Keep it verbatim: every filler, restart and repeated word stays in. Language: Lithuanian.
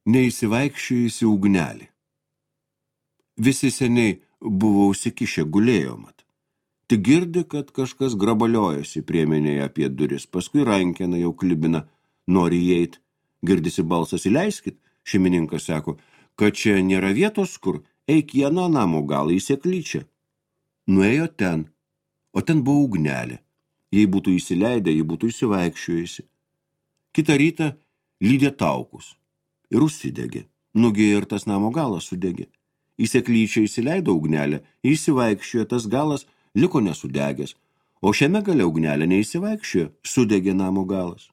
Neįsivaikščiojusi ugnelė. Visi seniai buvo užsikišę gulėjo mat. Tik girdi, kad kažkas grabaliojasi priemenėje apie duris, paskui rankena jau klibina, nori įeit. Girdisi balsas, įleiskit, šeimininkas sako, kad čia nėra vietos, kur eik į aną namo galą, į seklyčią. Nuėjo ten, o ten buvo ugnelė. Jei būtų įsileidę, jei būtų įsivaikščiojusi. Kitą rytą lydė taukus ir užsidegė. Nugėjo ir tas namo galas sudegė. Į seklyčią įsileido ugnelę, įsivaikščiojo, tas galas liko nesudegęs, o šiame gale ugnelė neįsivaikščiojo, sudegė namo galas.